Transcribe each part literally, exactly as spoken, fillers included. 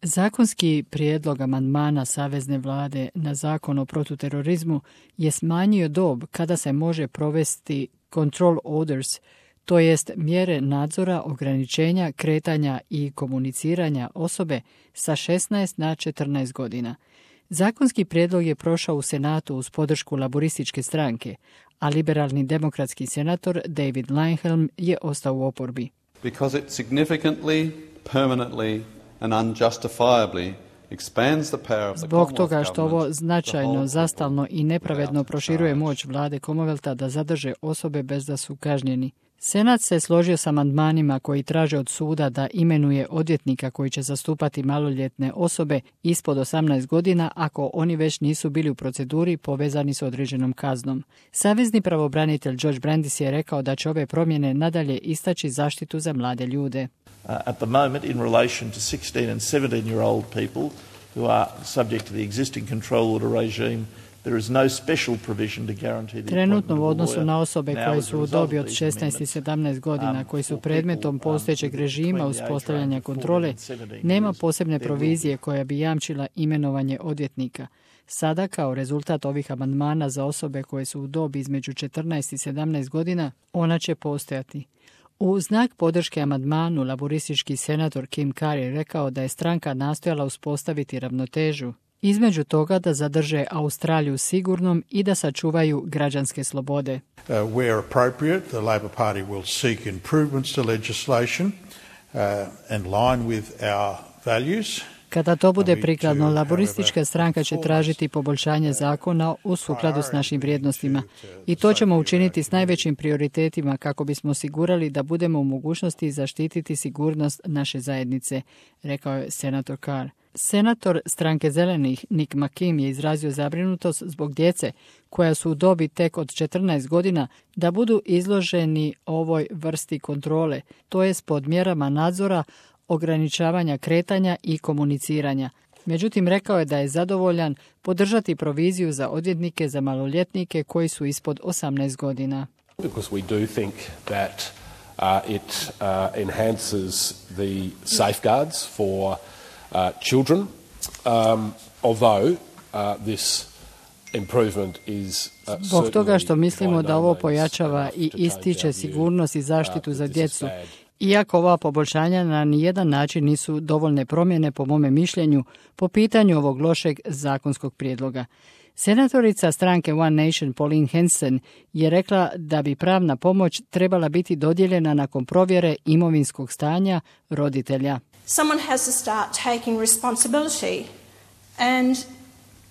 Zakonski prijedlog amandmana Savezne vlade na zakon o protuterorizmu je smanjio dob kada se može provesti control orders, to jest mjere nadzora, ograničenja, kretanja i komuniciranja osobe sa šesnaest na četrnaest godina. Zakonski prijedlog je prošao u Senatu uz podršku laborističke stranke, a liberalni demokratski senator David Leyonhjelm je ostao u oporbi. Because it significantly, permanently and unjustifiably expands the power of the Zbog toga što ovo značajno, zastalno i nepravedno proširuje moć vlade Commonwealtha da zadrže osobe bez da su kažnjeni. Senat se složio s amandmanima koji traže od suda da imenuje odvjetnika koji će zastupati maloljetne osobe ispod osamnaest godina ako oni već nisu bili u proceduri povezani s određenom kaznom. Savezni pravobranitelj George Brandis je rekao da će ove promjene nadalje istaći zaštitu za mlade ljude. Uh, at the moment, in relation to sixteen and seventeen year old people who are subject to the existing control order regime, there is no special provision to guarantee the Trenutno u odnosu na osobe koje su u dobi od šesnaest i sedamnaest godina, koji su predmetom postojećeg režima uspostavljanja kontrole, nema posebne provizije koja bi jamčila imenovanje odvjetnika. Sada, kao rezultat ovih amandmana za osobe koje su u dobi između četrnaest i sedamnaest godina, ona će postojati. U znak podrške amandmanu laboristički senator Kim Carr je rekao da je stranka nastojala uspostaviti ravnotežu između toga da zadrže Australiju sigurnom i da sačuvaju građanske slobode. Uh, where appropriate, the Labor Party will seek improvements to legislation uh, and line with our values. Kada to bude prikladno, laboristička stranka će tražiti poboljšanje zakona u sukladu s našim vrijednostima i to ćemo učiniti s najvećim prioritetima kako bismo osigurali da budemo u mogućnosti zaštititi sigurnost naše zajednice, rekao je senator Carr. Senator stranke zelenih Nick McKim je izrazio zabrinutost zbog djece koja su u dobi tek od četrnaest godina da budu izloženi ovoj vrsti kontrole, to jest pod mjerama nadzora, ograničavanja kretanja i komuniciranja. Međutim, rekao je da je zadovoljan podržati proviziju za odvjetnike za maloljetnike koji su ispod osamnaest godina. Because we do think that uh, it uh, enhances the safeguards for uh, children, um, although uh, this improvement is uh, Zbog toga što mislimo da ovo pojačava i ističe sigurnost i zaštitu za djecu. Iako ova poboljšanja na nijedan način nisu dovoljne promjene, po mome mišljenju, po pitanju ovog lošeg zakonskog prijedloga. Senatorica stranke One Nation Pauline Hanson je rekla da bi pravna pomoć trebala biti dodijeljena nakon provjere imovinskog stanja roditelja. Someone has to start taking responsibility, and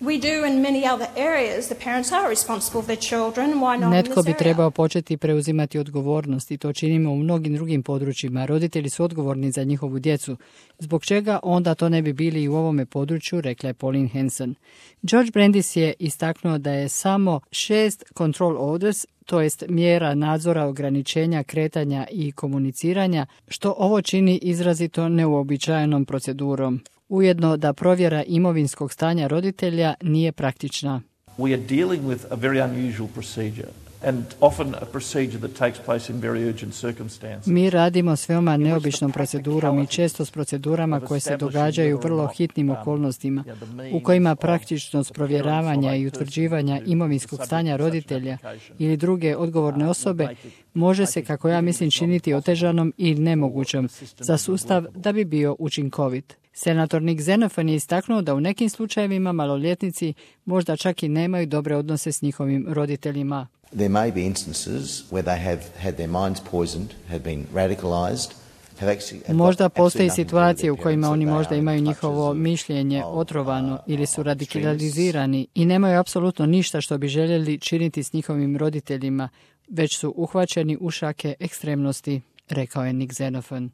we do in many other areas. The parents are responsible for their children. Why not in Netko this bi area? trebao početi preuzimati odgovornost i to činimo u mnogim drugim područjima. Roditelji su odgovorni za njihovu djecu. Zbog čega onda to ne bi bili i u ovome području, rekla je Pauline Hanson. George Brandis je istaknuo da je samo šest control orders, to jest mjera nadzora, ograničenja, kretanja i komuniciranja, što ovo čini izrazito neuobičajenom procedurom. Ujedno da provjera imovinskog stanja roditelja nije praktična. We are dealing with a very unusual procedure and often a procedure that takes place in very urgent circumstances. Mi radimo s veoma neobičnom procedurom i često s procedurama koje se događaju u vrlo hitnim okolnostima, u kojima praktičnost provjeravanja i utvrđivanja imovinskog stanja roditelja ili druge odgovorne osobe može se, kako ja mislim, činiti otežanom i nemogućom za sustav da bi bio učinkovit. Senator Nick Xenophon je istaknuo da u nekim slučajevima maloljetnici možda čak i nemaju dobre odnose s njihovim roditeljima. There may be instances where they have had their minds poisoned, have been radicalized. Možda postoji situacije u kojima oni možda imaju njihovo mišljenje otrovano ili su radikalizirani i nemaju apsolutno ništa što bi željeli činiti s njihovim roditeljima, već su uhvaćeni u šake ekstremnosti, rekao je Nick Xenophon.